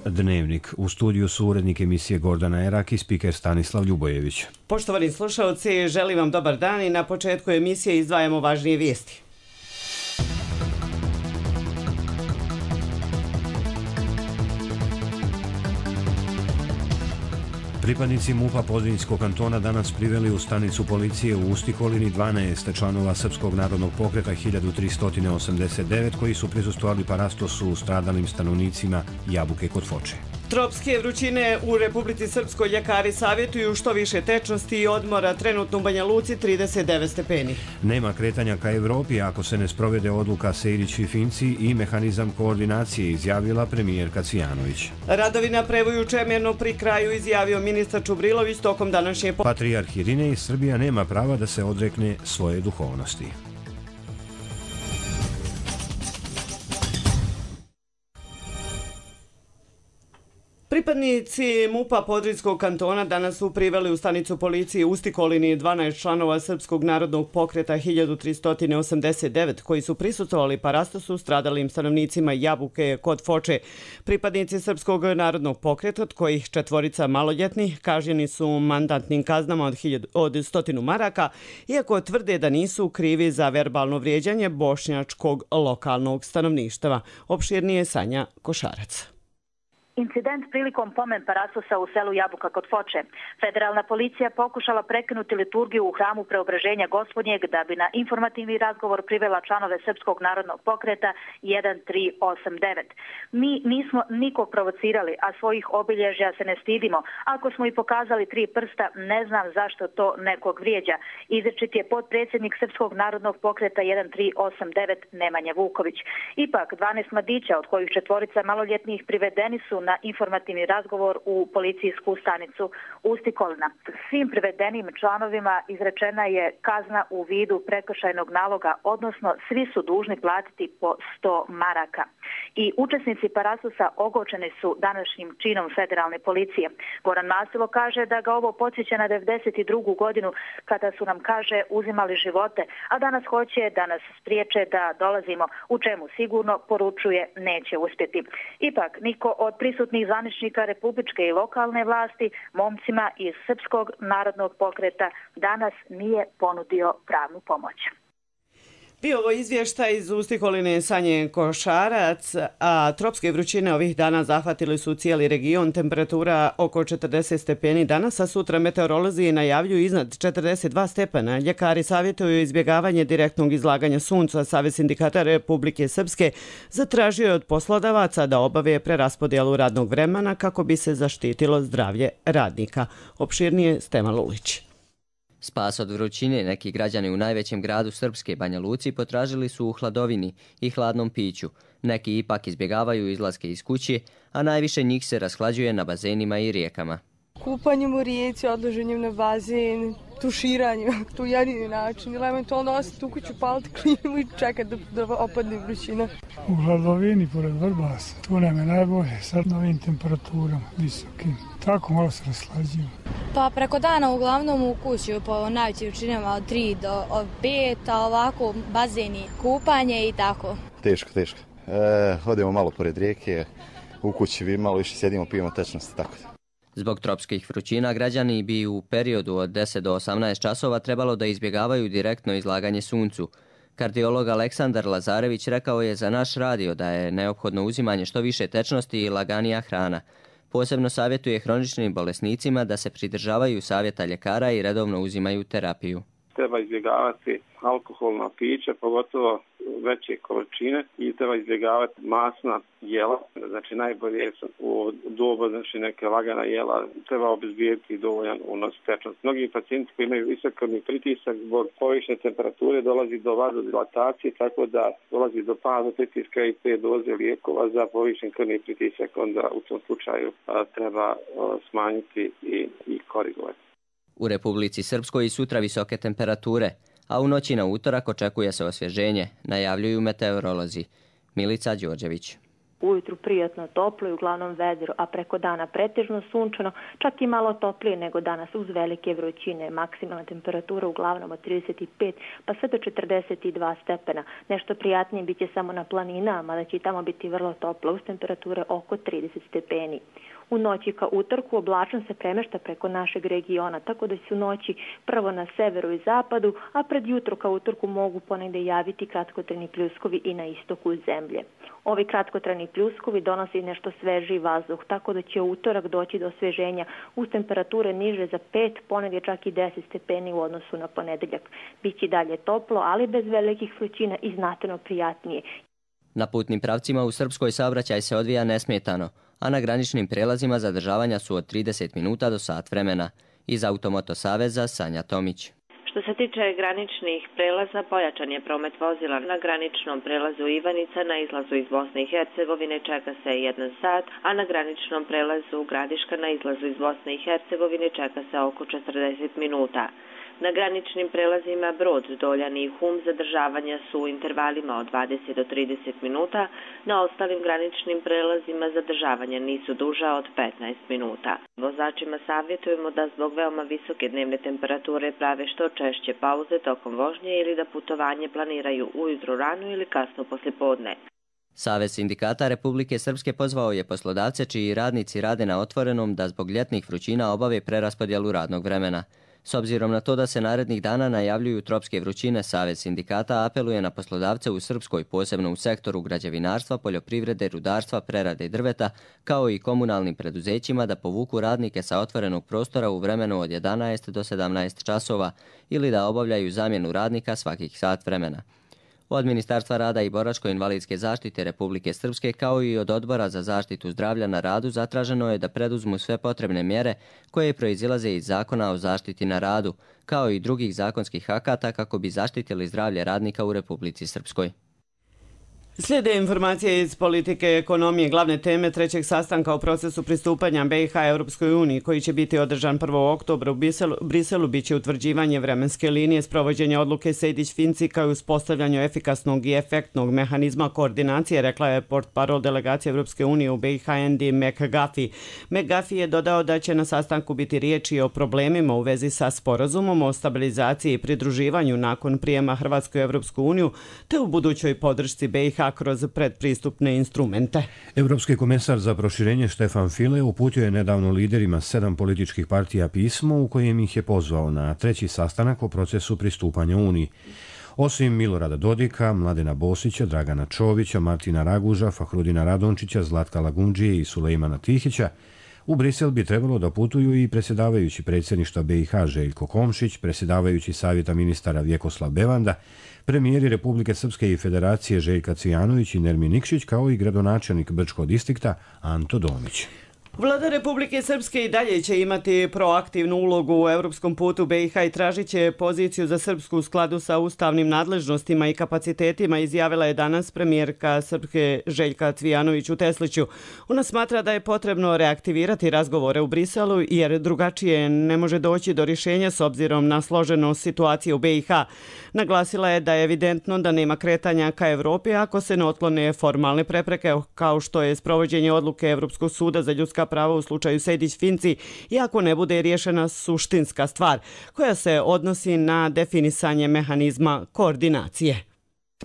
Dnevnik. U studiju su urednik emisije Gordana Erak i spiker Stanislav Ljubojević. Poštovani slušalci, želim vam dobar dan i na početku emisije izdvajamo važnije vijesti. Pripadnici MUP-a Podrinjskog kantona danas priveli u stanicu policije u Ustikolini 12 članova Srpskog narodnog pokreta 1389 koji su prisustvovali parastosu stradalim stanovnicima Jabuke kod Foče. Tropske vrućine u Republici Srpskoj ljekari savjetuju što više tečnosti i odmora, trenutno u Banja Luci 39 stepeni. Nema kretanja ka Evropi ako se ne sprovede odluka Sejdić i Finci i mehanizam koordinacije, izjavila premijerka Cvijanović. Radovi na prevoju Čemerno pri kraju, izjavio ministar Čubrilović tokom današnje... Patrijarh Irinej, Srbija nema prava da se odrekne svoje duhovnosti. Pripadnici MUP-a Podrinjskog kantona danas su priveli u stanicu policije u Ustikolini 12 članova Srpskog narodnog pokreta 1389 koji su prisustvovali parastosu stradalim stanovnicima Jabuke kod Foče. Pripadnici Srpskog narodnog pokreta, od kojih 4 maloljetnih, kažnjeni su mandatnim kaznama od 100 maraka, iako tvrde da nisu krivi za verbalno vrijeđanje bošnjačkog lokalnog stanovništva. Opširnije Sanja Košarac. Incident prilikom pomen parastosa u selu Jabuka kod Foče. Federalna policija pokušala prekinuti liturgiju u hramu Preobraženja Gospodnjeg da bi na informativni razgovor privela članove Srpskog narodnog pokreta 1389. Mi nismo nikog provocirali, a svojih obilježja se ne stidimo. Ako smo i pokazali 3 prsta, ne znam zašto to nekog vrijeđa. Izričit je potpredsjednik Srpskog narodnog pokreta 1389 Nemanja Vuković. Ipak, 12 mladića, od kojih 4 maloljetnih, privedeni su na informativni razgovor u policijsku stanicu Ustikolina. Svim privedenim članovima izrečena je kazna u vidu prekršajnog naloga, odnosno svi su dužni platiti po 100 maraka. I učesnici parastosa ogorčeni su današnjim činom federalne policije. Goran Masilo kaže da ga ovo podsjeća na 92. godinu kada su nam, kaže, uzimali živote, a danas hoće da nas spriječe da dolazimo, u čemu sigurno, poručuje, neće uspjeti. Ipak, niko od prisutnih zvaničnika republičke i lokalne vlasti momcima iz Srpskog narodnog pokreta danas nije ponudio pravnu pomoć. Bio ovo izvještaj iz Ustikoline Sanje Košarac, a tropske vrućine ovih dana zahvatili su cijeli region, temperatura oko 40 stepeni danas, a sutra meteorolozi najavljuju iznad 42 stepena. Ljekari savjetuju izbjegavanje direktnog izlaganja sunca. Savez sindikata Republike Srpske zatražio je od poslodavaca da obave preraspodjelu radnog vremena kako bi se zaštitilo zdravlje radnika. Opširnije Stevan Lulić. Spas od vrućine neki građani u najvećem gradu Srpske, Banja Luci, potražili su u hladovini i hladnom piću. Neki ipak izbjegavaju izlaske iz kuće, a najviše njih se rashlađuje na bazenima i rijekama. Kupanjem u rijeci, odlaženjem na bazen, tuširanjem, to je jedini način. Ili eventualno ostati u kuću, paliti klimu i čekati da opadne vrućina. U hladovini, pored Vrbasa, tu nam je najbolje sa novim temperaturama visokim. Tako malo se rashlađuju. Pa preko dana uglavnom u kući po najvećim vrućinama od 3 do 5, a ovako bazeni, kupanje i tako. Teško. Odemo malo pored rijeke, u kući bi malo više sjedimo, pijemo tečnosti, tako da. Zbog tropskih vrućina građani bi u periodu od 10 do 18 časova trebalo da izbjegavaju direktno izlaganje suncu. Kardiolog Aleksandar Lazarević rekao je za naš radio da je neophodno uzimanje što više tečnosti i laganija hrana. Posebno savjetuje hroničnim bolesnicima da se pridržavaju savjeta ljekara i redovno uzimaju terapiju. Treba izbjegavati alkoholna pića, pogotovo veće količine, i treba izbjegavati masna jela. Znači najbolje u dobu, znači neke lagana jela, treba obezbijediti dovoljan unos tečnosti. Mnogi pacijenti koji imaju visok krvni pritisak zbog povišene temperature dolazi do vazodilatacije, tako da dolazi do pada pritiska i 5 doze lijekova za povišen krvni pritisak. Onda u tom slučaju treba smanjiti i korigovati. U Republici Srpskoj i sutra visoke temperature, a u noći na utorak očekuje se osvježenje, najavljuju meteorolozi. Milica Đorđević. Ujutru prijatno toplo i uglavnom vedro, a preko dana pretežno sunčano, čak i malo toplije nego danas uz velike vrućine. Maksimalna temperatura uglavnom od 35 pa sve do 42 stepena. Nešto prijatnije biće samo na planinama, da će i tamo biti vrlo toplo uz temperature oko 30 stepeni. U noći ka utorku oblačnost se premešta preko našeg regiona, tako da se u noći prvo na severu i zapadu, a pred jutro ka utorku mogu ponegde javiti kratkotrajni pljuskovi i na istoku zemlje. Ovi kratkotrajni pljuskovi donose nešto svežiji vazduh, tako da će u utorak doći do osveženja uz temperature niže za 5, ponegde čak i 10 stepeni u odnosu na ponedeljak. Biće dalje toplo, ali bez velikih vrućina i znatno prijatnije. Na putnim pravcima u Srpskoj saobraćaj se odvija nesmetano, a na graničnim prelazima zadržavanja su od 30 minuta do sat vremena. Iz Automoto Saveza Sanja Tomić. Što se tiče graničnih prelaza, pojačan je promet vozila na graničnom prelazu Ivanica na izlazu iz Bosne i Hercegovine čeka se 1 sat, a na graničnom prelazu Gradiška na izlazu iz Bosne i Hercegovine čeka se oko 40 minuta. Na graničnim prelazima Brod, Doljan i Hum zadržavanja su u intervalima od 20 do 30 minuta, na ostalim graničnim prelazima zadržavanja nisu duža od 15 minuta. Vozačima savjetujemo da zbog veoma visoke dnevne temperature prave što češće pauze tokom vožnje ili da putovanje planiraju ujutro rano ili kasno poslijepodne. Savez sindikata Republike Srpske pozvao je poslodavce čiji radnici rade na otvorenom da zbog ljetnih vrućina obave preraspodjelu radnog vremena. S obzirom na to da se narednih dana najavljuju tropske vrućine, Savez sindikata apeluje na poslodavce u Srpskoj, posebno u sektoru građevinarstva, poljoprivrede, rudarstva, prerade drveta, kao i komunalnim preduzećima da povuku radnike sa otvorenog prostora u vremenu od 11 do 17 časova ili da obavljaju zamjenu radnika svakih sat vremena. Od Ministarstva rada i boračko-invalidske zaštite Republike Srpske kao i od Odbora za zaštitu zdravlja na radu zatraženo je da preduzmu sve potrebne mjere koje proizilaze iz Zakona o zaštiti na radu, kao i drugih zakonskih akata kako bi zaštitili zdravlje radnika u Republici Srpskoj. Slijede informacije iz politike i ekonomije. Glavne teme trećeg sastanka o procesu pristupanja BiH Europskoj uniji, koji će biti održan 1. oktobra u Briselu, biće utvrđivanje vremenske linije sprovođenja odluke Sejdić-Finci kao i uspostavljanju efikasnog i efektnog mehanizma koordinacije, rekla je portparol delegacije Europske unije u BiH Andy McGuffie. McGuffie je dodao da će na sastanku biti riječi o problemima u vezi sa sporazumom o stabilizaciji i pridruživanju nakon prijema Hrvatske u Europsku uniju, te u budućoj podršci BiH kroz predpristupne instrumente. Evropski komesar za proširenje Štefan File uputio je nedavno liderima 7 političkih partija pismo u kojem ih je pozvao na treći sastanak o procesu pristupanja Uniji. Osim Milorada Dodika, Mladena Bosića, Dragana Čovića, Martina Raguža, Fahrudina Radončića, Zlatka Lagundžije i Sulejmana Tihića, u Brisel bi trebalo da putuju i predsjedavajući predsjedništva BiH Željko Komšić, predsjedavajući Savjeta ministara Vjekoslav Bevanda, premijeri Republike Srpske i Federacije Željka Cvijanović i Nermin Nikšić, kao i gradonačelnik Brčkog distrikta Anto Domić. Vlada Republike Srpske i dalje će imati proaktivnu ulogu u europskom putu BiH i tražit će poziciju za Srpsku u skladu sa ustavnim nadležnostima i kapacitetima, izjavila je danas premijerka Srpske Željka Cvijanović u Tesliću. Ona smatra da je potrebno reaktivirati razgovore u Briselu jer drugačije ne može doći do rješenja s obzirom na složenost situacije u BiH. Naglasila je da je evidentno da nema kretanja ka Evropi ako se ne otklone formalne prepreke kao što je sprovođenje odluke Evropskog suda za ljudska prava u slučaju Sejdić-Finci, iako ne bude riješena suštinska stvar koja se odnosi na definisanje mehanizma koordinacije.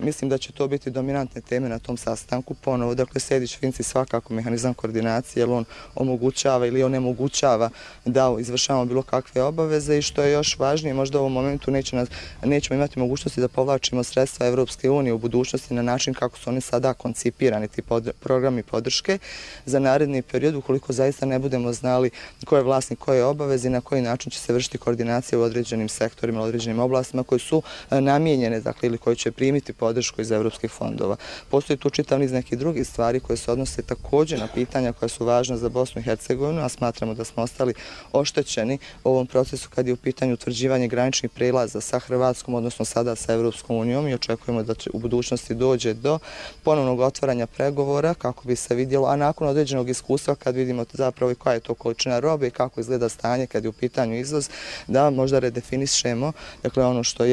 Mislim da će to biti dominantne teme na tom sastanku. Ponovo, dakle, Sejdić-Finci svakako mehanizam koordinacije, jer on omogućava ili onemogućava da izvršavamo bilo kakve obaveze i što je još važnije, možda u ovom momentu nećemo imati mogućnosti da povlačimo sredstva Evropske unije u budućnosti na način kako su oni sada koncipirani, ti programi podrške za naredni period, ukoliko zaista ne budemo znali ko je vlasnik, koje obaveze i na koji način će se vršiti koordinacija u određenim sektorima, u određenim oblastima koji su namijenjene, dakle, ili koji će primiti podršku iz evropskih fondova. Postoji tu čitav niz nekih drugih stvari koje se odnose također na pitanja koja su važna za Bosnu i Hercegovinu, a smatramo da smo ostali oštećeni u ovom procesu kad je u pitanju utvrđivanje graničnih prelaza sa Hrvatskom, odnosno sada sa Evropskom unijom, i očekujemo da će u budućnosti dođe do ponovnog otvaranja pregovora kako bi se vidjelo, a nakon određenog iskustva kad vidimo zapravo i koja je to količina robe i kako izgleda stanje kad je u pitanju izvoz, da možda redefinišemo, dakle, ono što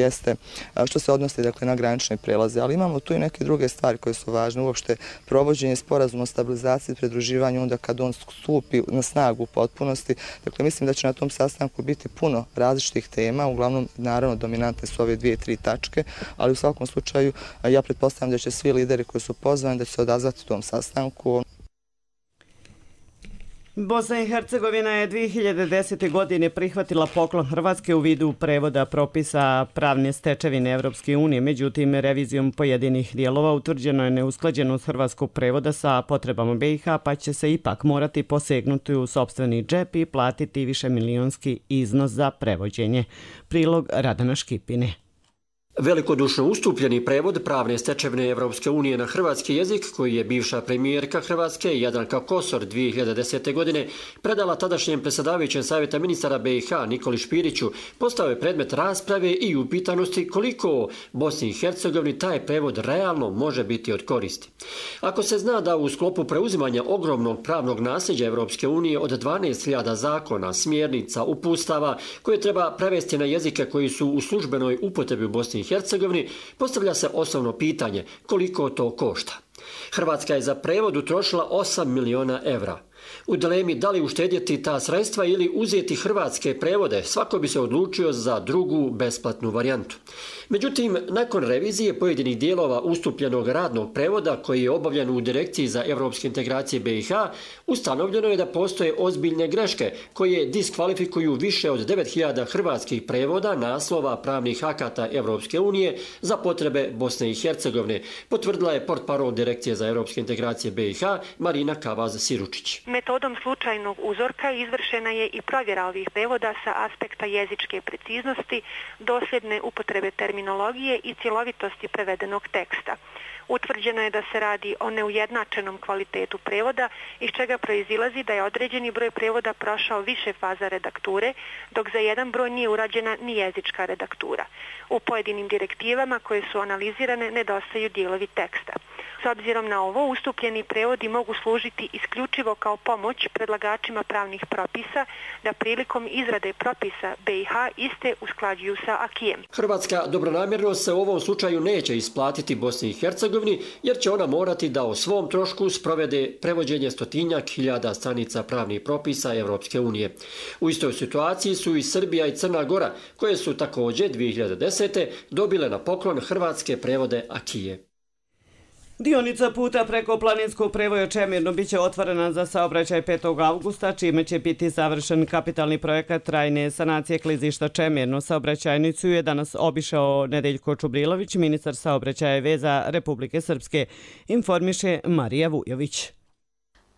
se odnosi, dakle, na granični prelaz prelaze, ali imamo tu i neke druge stvari koje su važne. Uopšte provođenje sporazuma o stabilizaciji i pridruživanju onda kad on stupi na snagu u potpunosti. Dakle, mislim da će na tom sastanku biti puno različitih tema, uglavnom naravno dominantne su ove 2-3 tačke, ali u svakom slučaju ja pretpostavljam da će svi lideri koji su pozvani da će se odazvati tom sastanku. Bosna i Hercegovina je 2010. godine prihvatila poklon Hrvatske u vidu prevoda propisa pravne stečevine Evropske unije. Međutim, revizijom pojedinih dijelova utvrđeno je neusklađenost hrvatskog prevoda sa potrebama BiH, pa će se ipak morati posegnuti u sopstveni džep i platiti višemilionski iznos za prevođenje. Prilog Radana Škipine. Velikodušno ustupljeni prevod pravne stečevine Evropske unije na hrvatski jezik, koji je bivša premijerka Hrvatske Jadranka Kosor 2010. godine predala tadašnjem predsjedavajućem savjeta ministara BiH Nikoli Špiriću, postao je predmet rasprave i upitanosti koliko Bosni i Hercegovini taj prevod realno može biti od koristi. Ako se zna da u sklopu preuzimanja ogromnog pravnog nasljeđa Evropske unije od 12.000 zakona, smjernica, uputstava koje treba prevesti na jezike koji su u službenoj upotrebi u Bosni i Hercegovini, postavlja se osnovno pitanje koliko to košta. Hrvatska je za prevod utrošila 8 miliona evra. U dilemi da li uštedjeti ta sredstva ili uzeti hrvatske prevode, svako bi se odlučio za drugu besplatnu varijantu. Međutim, nakon revizije pojedinih dijelova ustupljenog radnog prevoda koji je obavljen u Direkciji za evropske integracije BiH, ustanovljeno je da postoje ozbiljne greške koje diskvalifikuju više od 9.000 hrvatskih prevoda naslova pravnih akata Evropske unije za potrebe Bosne i Hercegovine, potvrdila je portparol Direkcije za evropske integracije BiH Marina Kavaz-Siručić. Metodom slučajnog uzorka izvršena je i provjera ovih prevoda sa aspekta jezičke preciznosti, dosljedne upotrebe terminologije i cjelovitosti prevedenog teksta. Utvrđeno je da se radi o neujednačenom kvalitetu prevoda, iz čega proizilazi da je određeni broj prevoda prošao više faza redakture, dok za jedan broj nije urađena ni jezička redaktura. U pojedinim direktivama koje su analizirane nedostaju dijelovi teksta. S obzirom na ovo, ustupljeni prevodi mogu služiti isključivo kao pomoć predlagačima pravnih propisa da prilikom izrade propisa BiH iste usklađuju sa akijem. Hrvatska dobronamjerno se u ovom slučaju neće isplatiti Bosni i Hercegovini, jer će ona morati da o svom trošku sprovede prevođenje 100.000 stranica pravnih propisa Evropske unije. U istoj situaciji su i Srbija i Crna Gora, koje su također 2010. dobile na poklon hrvatske prevode akije. Dionica puta preko planinskog prevoja Čemirno biće otvorena za saobraćaj 5. augusta, čime će biti završen kapitalni projekat trajne sanacije klizišta Čemirno. Saobraćajnicu je danas obišao Nedeljko Čubrilović, ministar saobraćaja i veza Republike Srpske, informiše Marija Vujović.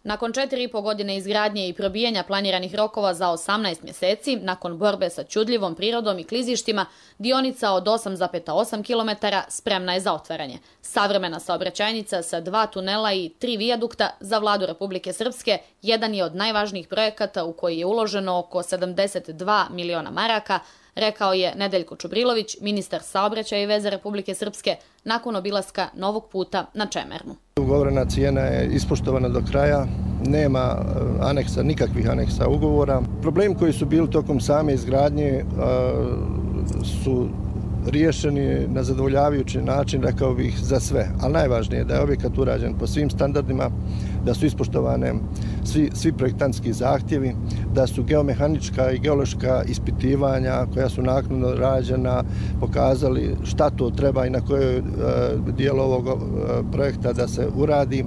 Nakon 4,5 godine izgradnje i probijanja planiranih rokova za 18 mjeseci, nakon borbe sa čudljivom prirodom i klizištima, dionica od 8,8 km spremna je za otvaranje. Savremena saobraćajnica sa 2 tunela i 3 vijadukta za vladu Republike Srpske jedan je od najvažnijih projekata u koji je uloženo oko 72 miliona maraka, rekao je Nedeljko Čubrilović, ministar saobraćaja i veze Republike Srpske, nakon obilaska novog puta na Čemernu. Ugovorena cijena je ispoštovana do kraja, nema aneksa, nikakvih aneksa ugovora. Problemi koji su bili tokom same izgradnje su riješeni na zadovoljavajući način, rekao bih, za sve. Ali najvažnije je da je objekat urađen po svim standardima, da su ispoštovane svi projektantski zahtjevi, da su geomehanička i geološka ispitivanja koja su naknadno rađena pokazali šta to treba i na kojoj dijelu ovog projekta da se uradi.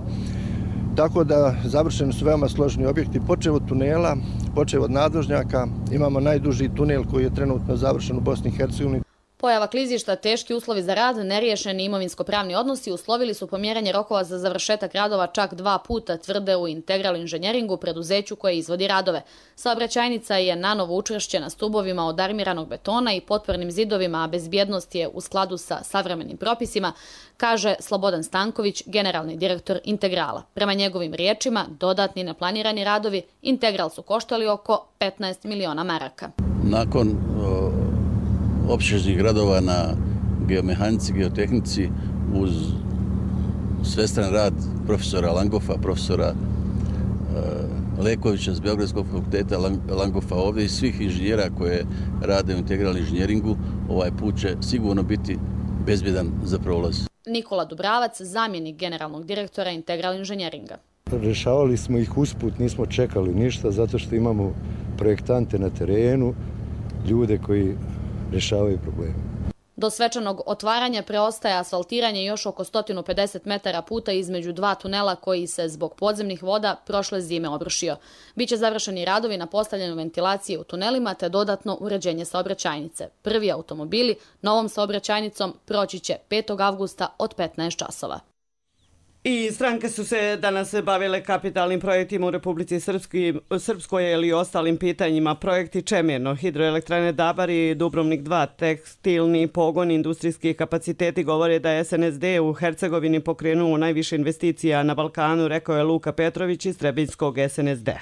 Tako da završeni su veoma složeni objekti, počev od tunela, počev od nadvožnjaka. Imamo najduži tunel koji je trenutno završen u Bosni i Hercegovini. Pojava klizišta, teški uslovi za rad, neriješeni imovinsko-pravni odnosi uslovili su pomjeranje rokova za završetak radova čak 2 puta, tvrde u Integral inženjeringu, preduzeću koje izvodi radove. Saobraćajnica je nanovo učvršćena stubovima od armiranog betona i potpornim zidovima, a bezbjednost je u skladu sa savremenim propisima, kaže Slobodan Stanković, generalni direktor Integrala. Prema njegovim riječima, dodatni neplanirani radovi Integral su koštali oko 15 miliona maraka. Nakon opsežnih radova na geomehanici, geotehnici uz svestran rad profesora Langofa, profesora Lekovića s Beogradskog fakulteta Langofa ovdje i svih inženjera koje rade u Integral inženjeringu, ovaj put će sigurno biti bezbjedan za prolaz. Nikola Dubravac, zamjenik generalnog direktora Integral inženjeringa. Rešavali smo ih usput, nismo čekali ništa zato što imamo projektante na terenu, ljude koji rešavaju probleme. Do svečanog otvaranja preostaje asfaltiranje još oko 150 metara puta između dva tunela koji se zbog podzemnih voda prošle zime obrušio. Biće završeni radovi na postavljanju ventilacije u tunelima te dodatno uređenje saobraćajnice. Prvi automobili novom saobraćajnicom proći će 5. avgusta od 15 časova. I stranke su se danas bavile kapitalnim projektima u Republici Srpskoj ili ostalim pitanjima. Projekti Čemerno, hidroelektrane Dabari, Dubrovnik 2, tekstilni pogon, industrijski kapaciteti govore da je SNSD u Hercegovini pokrenuo najviše investicija na Balkanu, rekao je Luka Petrović iz Trebinjskog SNSD-a.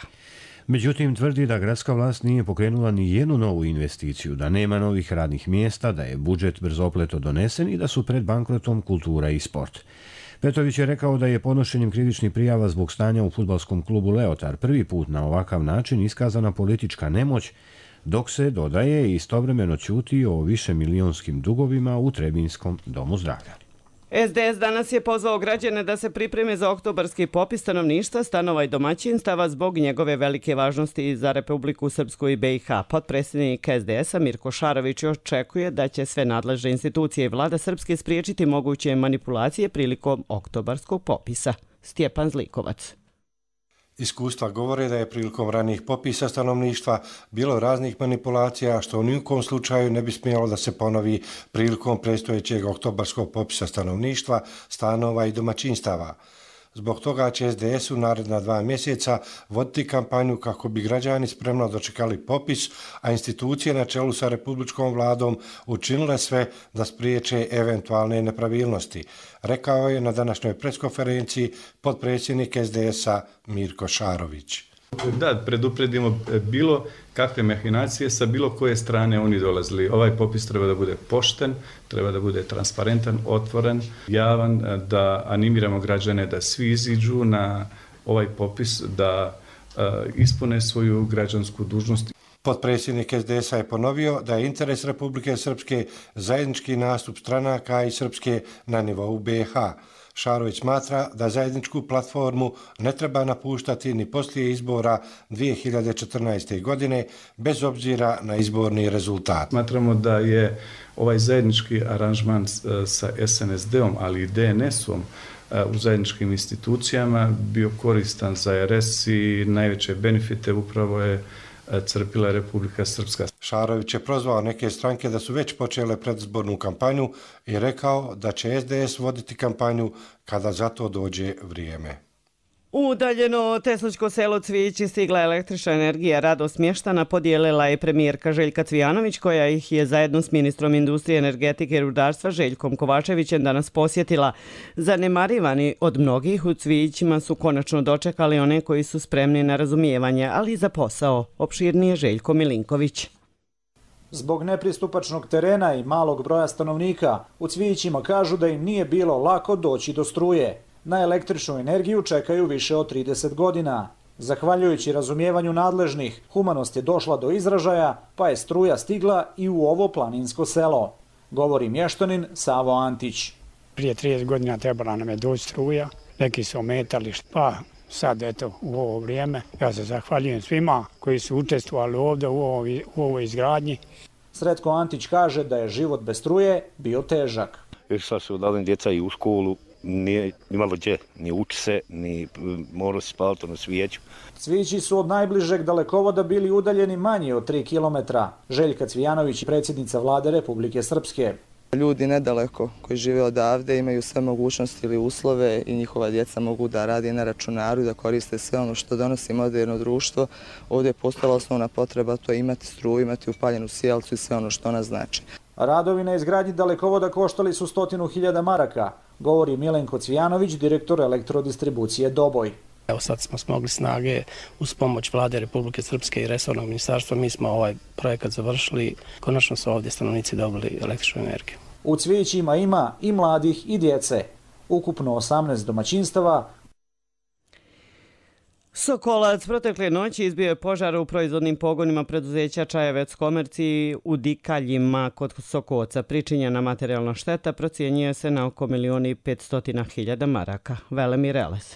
Međutim, tvrdi da gradska vlast nije pokrenula ni jednu novu investiciju, da nema novih radnih mjesta, da je budžet brzopleto donesen i da su pred bankrotom kultura i sport. Petrović je rekao da je podnošenjem krivičnih prijava zbog stanja u fudbalskom klubu Leotar prvi put na ovakav način iskazana politička nemoć, dok se, dodaje, istovremeno ćuti o višemilijonskim dugovima u Trebinskom domu zdravlja. SDS danas je pozvao građane da se pripreme za oktobarski popis stanovništva, stanova i domaćinstava zbog njegove velike važnosti za Republiku Srpsku i BiH. Potpredsjednik SDS-a Mirko Šarović očekuje da će sve nadležne institucije i vlada Srpske spriječiti moguće manipulacije prilikom oktobarskog popisa. Stjepan Zlikovac. Iskustva govore da je prilikom ranijih popisa stanovništva bilo raznih manipulacija, što u nijekom slučaju ne bi smjelo da se ponovi prilikom predstojećeg oktobarskog popisa stanovništva, stanova i domaćinstava. Zbog toga će SDS u naredna 2 mjeseca voditi kampanju kako bi građani spremno dočekali popis, a institucije na čelu sa Republičkom vladom učinile sve da spriječe eventualne nepravilnosti, rekao je na današnjoj preskonferenciji potpredsjednik SDS-a Mirko Šarović. Da predupredimo bilo kakve mahinacije sa bilo koje strane oni dolazili. Ovaj popis treba da bude pošten, treba da bude transparentan, otvoren, javan, da animiramo građane da svi iziđu na ovaj popis, da ispune svoju građansku dužnost. Potpredsjednik SDS-a je ponovio da je interes Republike Srpske zajednički nastup stranaka i Srpske na nivou BiH. Šarović smatra da zajedničku platformu ne treba napuštati ni poslije izbora 2014. godine, bez obzira na izborni rezultat. Smatramo da je ovaj zajednički aranžman sa SNSD-om, ali i DNS-om u zajedničkim institucijama bio koristan za RS i najveće benefite upravo je crpila Republika Srpska. Šarović je prozvao neke stranke da su već počele predizbornu kampanju i rekao da će SDS voditi kampanju kada za to dođe vrijeme. U udaljeno Tesličko selo Cvijići stigla električna energija. Radost mještana podijelila je premijerka Željka Cvijanović, koja ih je zajedno s ministrom industrije, energetike i rudarstva Željkom Kovačevićem danas posjetila. Zanemarivani od mnogih u Cvijićima su konačno dočekali one koji su spremni na razumijevanje, ali i za posao. Opširnije Željko Milinković. Zbog nepristupačnog terena i malog broja stanovnika, u Cvijićima kažu da im nije bilo lako doći do struje. Na električnu energiju čekaju više od 30 godina. Zahvaljujući razumijevanju nadležnih, humanost je došla do izražaja, pa je struja stigla i u ovo planinsko selo. Govori mještanin Savo Antić. Prije 30 godina trebala nam je doći struja, neki su ometali, pa sad eto u ovo vrijeme. Ja se zahvaljujem svima koji su učestvovali ovdje u ovoj izgradnji. Sretko Antić kaže da je život bez struje bio težak. Išla su odavljeni djeca i u školu, nije imalo gdje, ni uči se, ni moralo se spaliti na svijeću. Cvijići su od najbližeg dalekovoda bili udaljeni manje od 3 kilometra. Željka Cvijanović, predsjednica vlade Republike Srpske. Ljudi nedaleko koji žive odavde imaju sve mogućnosti ili uslove i njihova djeca mogu da radi na računaru i da koriste sve ono što donosi moderno društvo. Ovdje je postala osnovna potreba, to je imati struju, imati upaljenu sjelcu i sve ono što ona znači. Radovi na izgradnji dalekovoda koštali su 100.000 maraka, govori Milenko Cvijanović, direktor elektrodistribucije Doboj. Evo sad smo smogli snage uz pomoć vlade Republike Srpske i resornog ministarstva. Mi smo ovaj projekat završili. Konačno su ovdje stanovnici dobili električnu energiju. U Cvijićima ima i mladih i djece. Ukupno 18 domaćinstava. Sokolac protekle noći izbio je požar u proizvodnim pogonima preduzeća Čajevec Komerciji u Dikaljima kod Sokoca. Pričinjena materijalna šteta procjenjuje se na oko 1.500.000 maraka. Velemir Eles.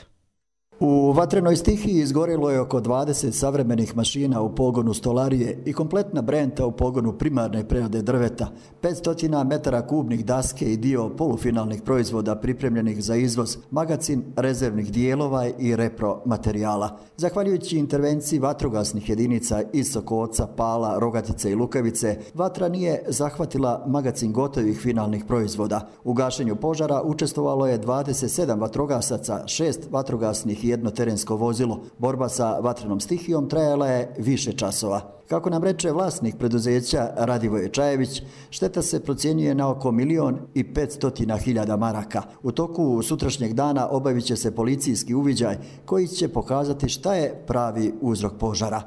U vatrenoj stihiji izgorilo je oko 20 savremenih mašina u pogonu stolarije i kompletna brenta u pogonu primarne prerade drveta, 500 metara kubnih daske i dio polufinalnih proizvoda pripremljenih za izvoz, magacin rezervnih dijelova i repro materijala. Zahvaljujući intervenciji vatrogasnih jedinica iz Sokoca, Pala, Rogatice i Lukavice, vatra nije zahvatila magacin gotovih finalnih proizvoda. U gašenju požara učestvovalo je 27 vatrogasaca, 6 vatrogasnih i jedno terensko vozilo. Borba sa vatrenom stihijom trajala je više časova. Kako nam reče vlasnik preduzeća Radivoje Čajević, šteta se procjenjuje na oko 1.500.000 maraka. U toku sutrašnjeg dana obavit će se policijski uviđaj koji će pokazati šta je pravi uzrok požara.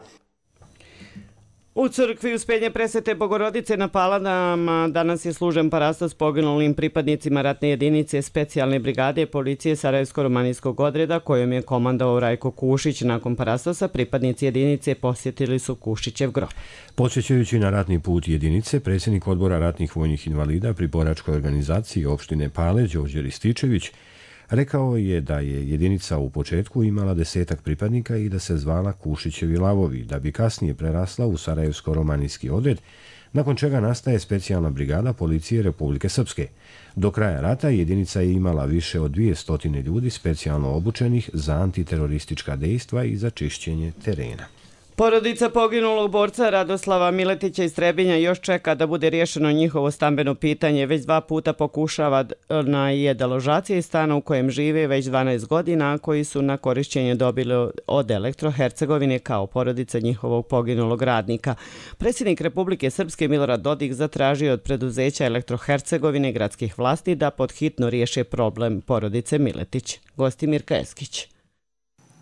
U crkvi Uspenje Presvete Bogorodice na Palanama danas je služen parastos poginulim pripadnicima ratne jedinice specijalne brigade policije Sarajevsko-romanijskog odreda kojom je komandovao Rajko Kušić. Nakon parastosa pripadnici jedinice posjetili su Kušićev grob. Podsjećajući na ratni put jedinice, predsjednik odbora ratnih vojnih invalida pri boračkoj organizaciji opštine Pale, Đorđe Rističević, rekao je da je jedinica u početku imala 10 pripadnika i da se zvala Kušićevi lavovi, da bi kasnije prerasla u Sarajevsko-romanijski odred, nakon čega nastaje specijalna brigada policije Republike Srpske. Do kraja rata jedinica je imala više od 200 ljudi specijalno obučenih za antiteroristička dejstva i za čišćenje terena. Porodica poginulog borca Radoslava Miletića iz Trebinja još čeka da bude riješeno njihovo stambeno pitanje. Već 2 puta pokušava na deložacije iz stana u kojem žive već 12 godina, koji su na korišćenje dobili od Elektro-Hercegovine kao porodica njihovog poginulog radnika. Predsjednik Republike Srpske Milorad Dodik zatražio od preduzeća Elektro-Hercegovine gradskih vlasti da podhitno riješe problem porodice Miletić. Gosti Mirka Eskić.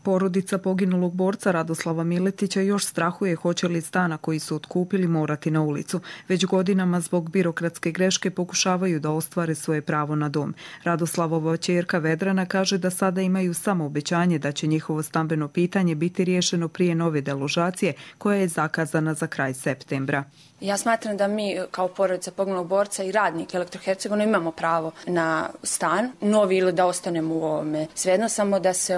Porodica poginulog borca Radoslava Miletića još strahuje hoće li stana koji su otkupili morati na ulicu. Već godinama zbog birokratske greške pokušavaju da ostvare svoje pravo na dom. Radoslavova ćerka Vedrana kaže da sada imaju samo obećanje da će njihovo stambeno pitanje biti riješeno prije nove deložacije koja je zakazana za kraj septembra. Ja smatram da mi kao porodica poginulog borca i radnik Elektro-Hercegovine imamo pravo na stan, novi ili da ostanemo u ovome. Svejedno samo da se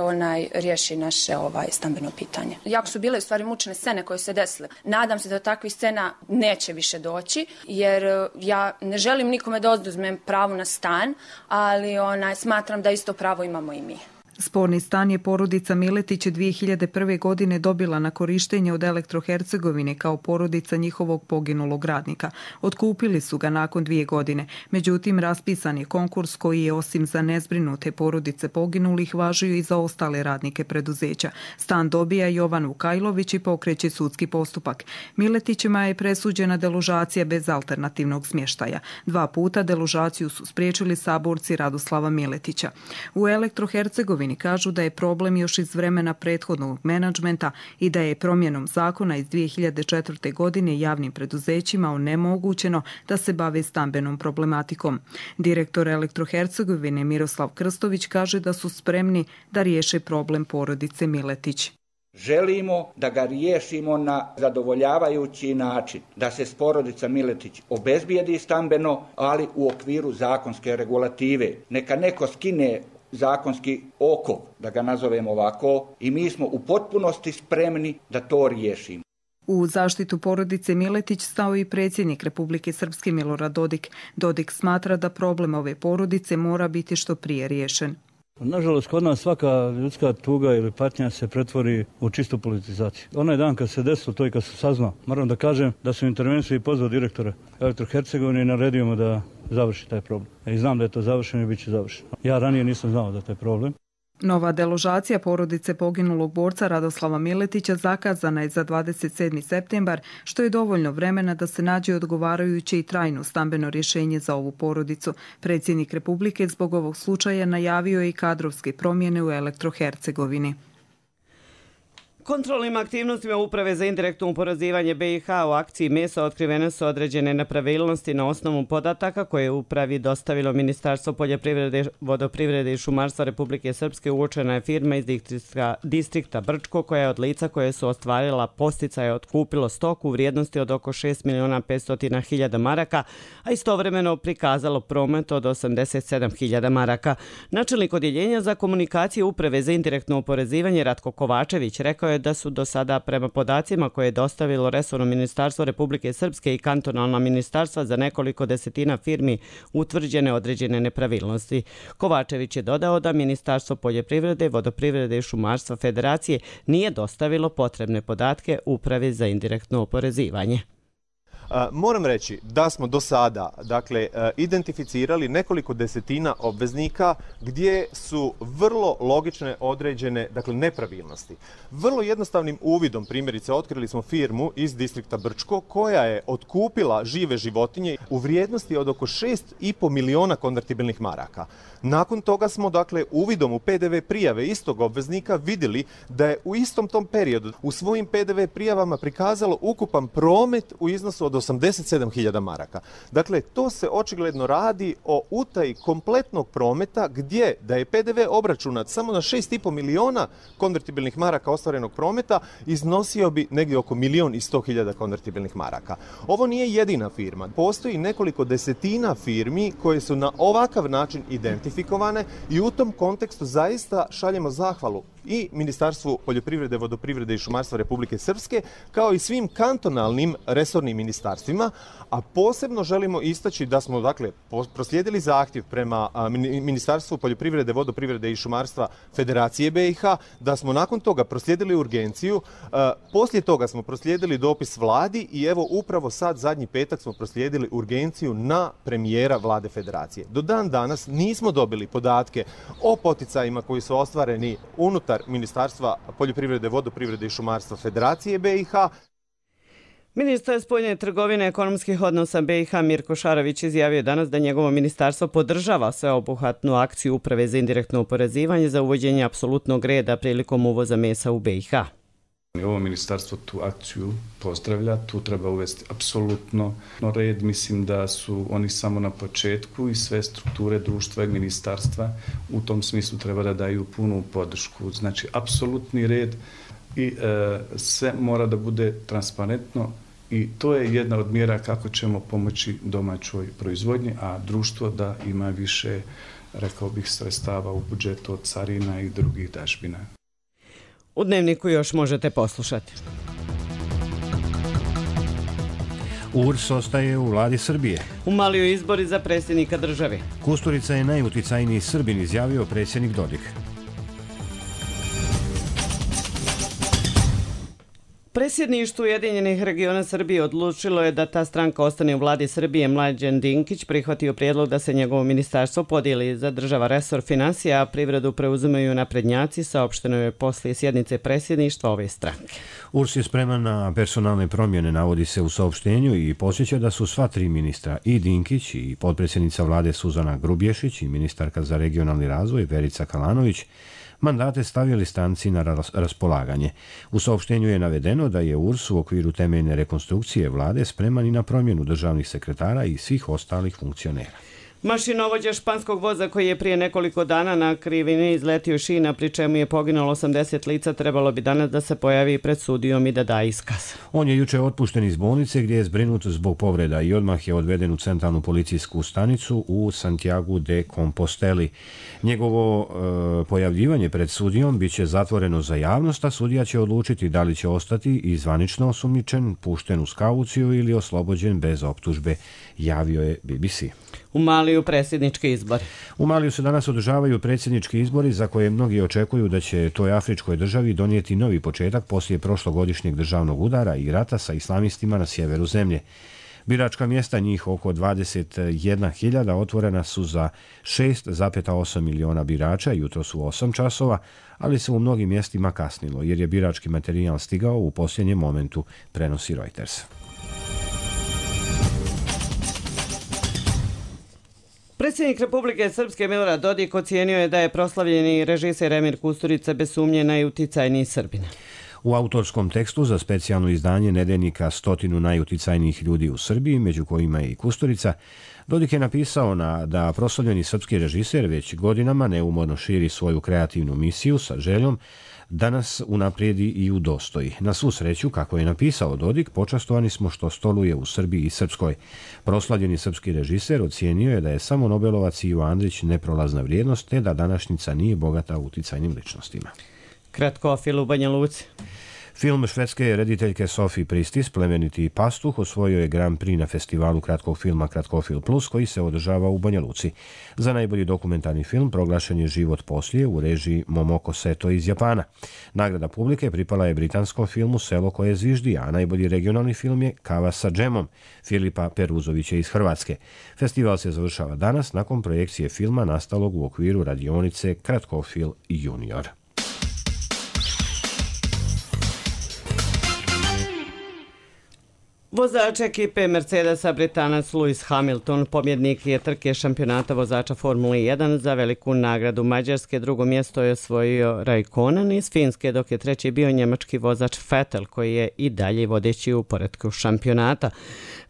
riješi naše stambeno pitanje. Jako su bile u stvari mučne scene koje se desile. Nadam se da takvih scena neće više doći, jer ja ne želim nikome da oduzmem pravo na stan, ali smatram da isto pravo imamo i mi. Sporni stan je porodica Miletić 2001. godine dobila na korištenje od Elektro-Hercegovine kao porodica njihovog poginulog radnika. Otkupili su ga nakon 2 godine. Međutim, raspisan je konkurs koji je osim za nezbrinute porodice poginulih važio i za ostale radnike preduzeća. Stan dobija Jovan Vukajlović i pokreće sudski postupak. Miletićima je presuđena deložacija bez alternativnog smještaja. 2 puta deložaciju su spriječili saborci Radoslava Miletića. U Elektro-Hercegovini kažu da je problem još iz vremena prethodnog menadžmenta i da je promjenom zakona iz 2004. godine javnim preduzećima onemogućeno da se bave stambenom problematikom. Direktor Elektro-Hercegovine Miroslav Krstović kaže da su spremni da riješe problem porodice Miletić. Želimo da ga riješimo na zadovoljavajući način, da se porodica Miletić obezbijedi stambeno, ali u okviru zakonske regulative. Neka neko skine zakonski okov, da ga nazovemo ovako, i mi smo u potpunosti spremni da to riješimo. U zaštitu porodice Miletić stao i predsjednik Republike Srpske Milorad Dodik. Dodik smatra da problem ove porodice mora biti što prije riješen. Nažalost, kod nas svaka ljudska tuga ili patnja se pretvori u čistu politizaciju. Onaj dan kad se desilo to i kad se saznao, moram da kažem da su intervenciju i pozvao direktora Elektro-Hercegovine i naredio mu da završi taj problem. I znam da je to završeno i bit će završeno. Ja ranije nisam znao da je taj problem. Nova deložacija porodice poginulog borca Radoslava Miletića zakazana je za 27. septembar, što je dovoljno vremena da se nađe odgovarajuće i trajno stambeno rješenje za ovu porodicu. Predsjednik Republike zbog ovog slučaja najavio je i kadrovske promjene u Elektro-Hercegovini. Kontrolnim aktivnostima Uprave za indirektno oporezivanje BiH u akciji Meso otkrivene su određene nepravilnosti na osnovu podataka koje je Upravi dostavilo Ministarstvo poljoprivrede, vodoprivrede i šumarstva Republike Srpske. Uočena je firma iz distrikta Brčko koja je od lica koje su ostvarila podsticaje otkupilo stoku u vrijednosti od oko 6.500.000 maraka, a istovremeno prikazalo promet od 87.000 maraka. Načelnik odjeljenja za komunikaciju Uprave za indirektno oporezivanje Ratko Kovačević rekao je da su do sada prema podacima koje je dostavilo resorno ministarstvo Republike Srpske i kantonalna ministarstva za nekoliko desetina firmi utvrđene određene nepravilnosti. Kovačević je dodao da Ministarstvo poljoprivrede, vodoprivrede i šumarstva Federacije nije dostavilo potrebne podatke Upravi za indirektno oporezivanje. Moram reći da smo do sada identificirali nekoliko desetina obveznika gdje su vrlo logične određene nepravilnosti. Vrlo jednostavnim uvidom, primjerice, otkrili smo firmu iz distrikta Brčko koja je otkupila žive životinje u vrijednosti od oko 6,5 miliona konvertibilnih maraka. Nakon toga smo uvidom u PDV prijave istog obveznika vidjeli da je u istom tom periodu u svojim PDV prijavama prikazalo ukupan promet u iznosu od 87.000 maraka. Dakle, to se očigledno radi o utaji kompletnog prometa gdje da je PDV obračunat samo na 6,5 miliona konvertibilnih maraka ostvarenog prometa, iznosio bi negdje oko 1.100.000 konvertibilnih maraka. Ovo nije jedina firma. Postoji nekoliko desetina firmi koje su na ovakav način identifikovane i u tom kontekstu zaista šaljemo zahvalu i Ministarstvu poljoprivrede, vodoprivrede i šumarstva Republike Srpske, kao i svim kantonalnim resornim ministarstvima, a posebno želimo istaći da smo proslijedili zahtjev prema Ministarstvu poljoprivrede, vodoprivrede i šumarstva Federacije BiH, da smo nakon toga proslijedili urgenciju, poslije toga smo proslijedili dopis vladi i evo upravo sad zadnji petak smo proslijedili urgenciju na premijera vlade Federacije. Do dan danas nismo dobili podatke o poticajima koji su ostvareni unutar Ministarstva poljoprivrede, vodoprivrede i šumarstva Federacije BiH. Ministar spoljne trgovine i ekonomskih odnosa BiH Mirko Šarović izjavio danas da njegovo ministarstvo podržava sveobuhvatnu akciju Uprave za indirektno oporezivanje za uvođenje apsolutnog reda prilikom uvoza mesa u BiH. Ovo ministarstvo tu akciju pozdravlja, tu treba uvesti apsolutno red. Mislim da su oni samo na početku i sve strukture društva i ministarstva u tom smislu treba da daju punu podršku. Znači, apsolutni red i sve mora da bude transparentno i to je jedna od mjera kako ćemo pomoći domaćoj proizvodnji, a društvo da ima više, rekao bih, sredstava u budžetu od carina i drugih dažbina. U Dnevniku još možete poslušati. URS ostaje u vladi Srbije. U Maliju izbori za predsjednika države. Kusturica je najuticajniji Srbin, izjavio predsjednik Dodik. Predsjedništvo Ujedinjenih regiona Srbije odlučilo je da ta stranka ostane u vladi Srbije. Mlađan Dinkić prihvatio prijedlog da se njegovo ministarstvo podijeli, zadržava resor finansija, a privredu preuzimaju naprednjaci, saopšteno je poslije sjednice predsjedništva ove stranke. URS je spreman na personalne promjene, navodi se u saopštenju, i podsjeća da su sva tri ministra, i Dinkić i potpredsjednica vlade Suzana Grubješić i ministarka za regionalni razvoj Verica Kalanović, mandate stavili stranci na raspolaganje. U saopštenju je navedeno da je URS u okviru temeljne rekonstrukcije vlade spreman i na promjenu državnih sekretara i svih ostalih funkcionera. Mašinovođa španskog voza koji je prije nekoliko dana na krivini izletio šina, pri čemu je poginulo 80 lica, trebalo bi danas da se pojavi pred sudijom i da da iskaz. On je juče otpušten iz bolnice gdje je zbrinut zbog povreda i odmah je odveden u centralnu policijsku stanicu u Santiago de Composteli. Njegovo pojavljivanje pred sudijom bit će zatvoreno za javnost, a sudija će odlučiti da li će ostati i zvanično osumnjičen, pušten uz kauciju ili oslobođen bez optužbe, javio je BBC. U Maliju predsjednički izbori. U Maliju se danas održavaju predsjednički izbori za koje mnogi očekuju da će toj afričkoj državi donijeti novi početak poslije prošlogodišnjeg državnog udara i rata sa islamistima na sjeveru zemlje. Biračka mjesta, njih oko 21.000, otvorena su za 6,8 miliona birača, jutro su 8 časova, ali se u mnogim mjestima kasnilo jer je birački materijal stigao u posljednjem momentu, prenosi Reuters. Predsjednik Republike Srpske Milorad Dodik ocijenio je da je proslavljeni režiser Emir Kusturica bez sumnje najuticajniji Srbin. U autorskom tekstu za specijalno izdanje nedeljnika 100 najuticajnijih ljudi u Srbiji, među kojima je i Kusturica, Dodik je napisao da proslavljeni srpski režiser već godinama neumorno širi svoju kreativnu misiju sa željom da nas unaprijedi i udostoji. Na svu sreću, kako je napisao Dodik, počastovani smo što stoluje u Srbiji i Srpskoj. Proslavljeni srpski režiser ocijenio je da je samo Nobelovac Ivo Andrić neprolazna vrijednost, te da današnjica nije bogata uticajnim ličnostima. Kratkofil u Banja Luci. Film švedske rediteljke Sofie Pristis, Plemeniti pastuh, osvojio je Grand Prix na festivalu kratkog filma Kratkofil Plus, koji se održava u Banja Luci. Za najbolji dokumentarni film proglašen je Život poslije u režiji Momoko Seto iz Japana. Nagrada publike pripala je britanskom filmu Selo koje zviždi, a najbolji regionalni film je Kava sa džemom Filipa Peruzovića iz Hrvatske. Festival se završava danas nakon projekcije filma nastalog u okviru radionice Kratkofil Junior. Vozač ekipe Mercedesa Britanac Lewis Hamilton pobjednik je trke šampionata vozača Formule 1 za veliku nagradu Mađarske. Drugo mjesto je osvojio Raikkonen iz Finske, dok je treći bio njemački vozač Vettel, koji je i dalje vodeći u poretku šampionata.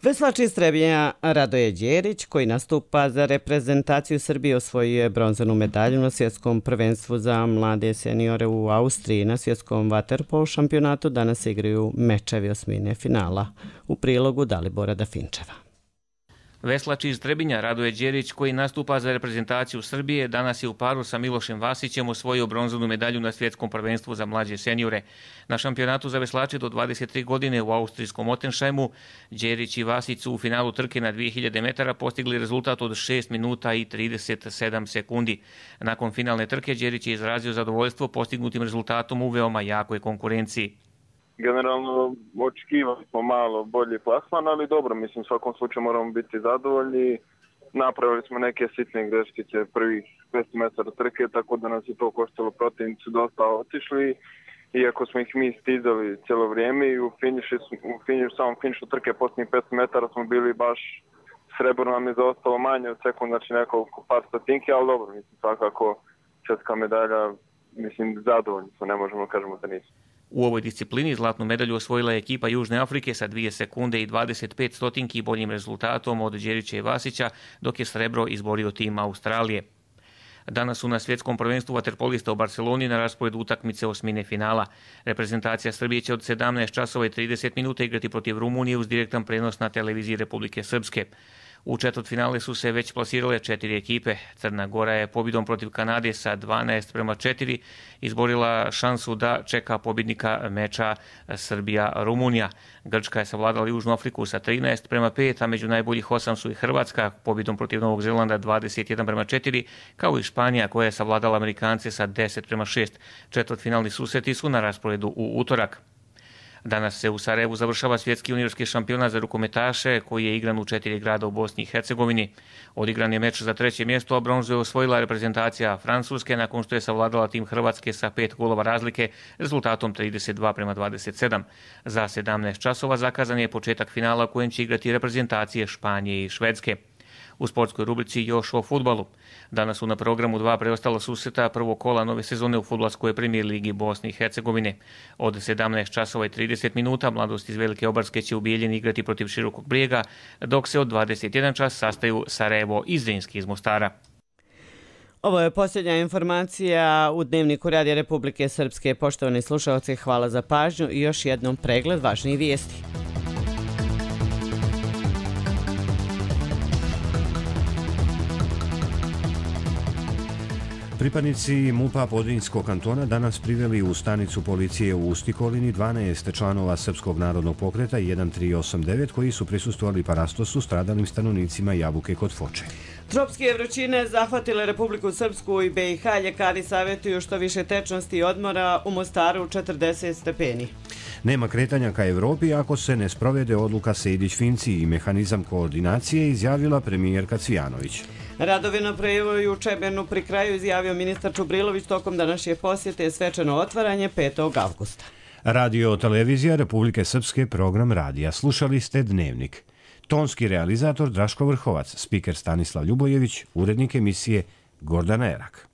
Veslač iz Trebinja Radoje Đerić, koji nastupa za reprezentaciju Srbije, osvojio je bronzanu medalju na svjetskom prvenstvu za mlade seniore u Austriji. Na svjetskom vaterpolo šampionatu danas se igraju mečevi osmine finala. U prilogu Dalibora Dafinčeva. Veslač iz Trebinja Radoje Đerić, koji nastupa za reprezentaciju Srbije, danas je u paru sa Milošem Vasićem osvojio bronzanu medalju na svjetskom prvenstvu za mlađe seniore. Na šampionatu za veslače do 23 godine u austrijskom Ottenšajmu, Đerić i Vasić su u finalu trke na 2000 metara postigli rezultat od 6 minuta i 37 sekundi. Nakon finalne trke Đerić je izrazio zadovoljstvo postignutim rezultatom u veoma jakoj konkurenciji. Generalno očekivali smo malo bolji plasman, ali dobro, mislim u svakom slučaju moramo biti zadovoljni. Napravili smo neke sitne greškice prvih 500 metara trke, tako da nas je to koštalo, protivnici dosta otišli. Iako smo ih mi stizali cijelo vrijeme i u samom finišu trke posljednjih 500 metara smo bili baš srebro nam je zaostalo manje od sekund, znači nekoliko par stotinki, ali dobro, mislim svakako svjetska medalja, mislim zadovoljni smo, ne možemo kažemo da nismo. U ovoj disciplini zlatnu medalju osvojila je ekipa Južne Afrike sa 2 sekunde i 25 stotinki boljim rezultatom od Đerića i Vasića, dok je srebro izborio tim Australije. Danas su na svjetskom prvenstvu vaterpolista u Barceloni na rasporedu utakmice osmine finala. Reprezentacija Srbije će od 17 časova i 30 minuta igrati protiv Rumunije uz direktan prenos na televiziji Republike Srpske. U četvrtfinale su se već plasirale 4 ekipe. Crna Gora je pobjedom protiv Kanade sa 12:4 izborila šansu da čeka pobjednika meča Srbija-Rumunija. Grčka je savladala Južnu Afriku sa 13:5, a među najboljih 8 su i Hrvatska pobjedom protiv Novog Zelanda 21:4, kao i Španija koja je savladala Amerikance sa 10:6. Četvrtfinalni susreti su na rasporedu u utorak. Danas se u Sarajevu završava svjetski juniorski šampionat za rukometaše koji je igran u 4 grada u Bosni i Hercegovini. Odigran je meč za 3. mjesto, a bronzu je osvojila reprezentacija Francuske nakon što je savladala tim Hrvatske sa 5 golova razlike rezultatom 32:27. Za 17 časova zakazan je početak finala u kojem će igrati reprezentacije Španije i Švedske. U sportskoj rubrici još o fudbalu. Danas su na programu 2 preostala susreta prvog kola nove sezone u fudbalskoj premijer ligi Bosne i Hercegovine. Od 17 časova i 30 minuta Mladost iz Velike Obarske će u Bijeljini igrati protiv Širokog Brijega, dok se od 21 čas sastaju Sarajevo i Zrinski iz Mostara. Ovo je posljednja informacija u Dnevniku Radija Republike Srpske. Poštovani slušalci, hvala za pažnju i još jednom pregled važnijih vijesti. Pripadnici MUP-a Podrinjskog kantona danas priveli u stanicu policije u Ustikolini 12 članova Srpskog narodnog pokreta 1389 koji su prisustvovali parastosu stradalim stanovnicima Jabuke kod Foče. Tropske vrućine zahvatile Republiku Srpsku i BiH. Ljekari savjetuju što više tečnosti i odmora u Mostaru 40 stepeni. Nema kretanja ka Evropi ako se ne sprovede odluka Sejdić-Finci i mehanizam koordinacije, izjavila premijerka Cvijanović. Radovi na prevoju u Čebernu pri kraju, izjavio ministar Čubrilović tokom današnje posjete svečano otvaranje 5. avgusta. Radio televizija Republike Srpske, program radija. Slušali ste Dnevnik. Tonski realizator Draško Vrhovac, spiker Stanislav Ljubojević, urednik emisije Gordana Erak.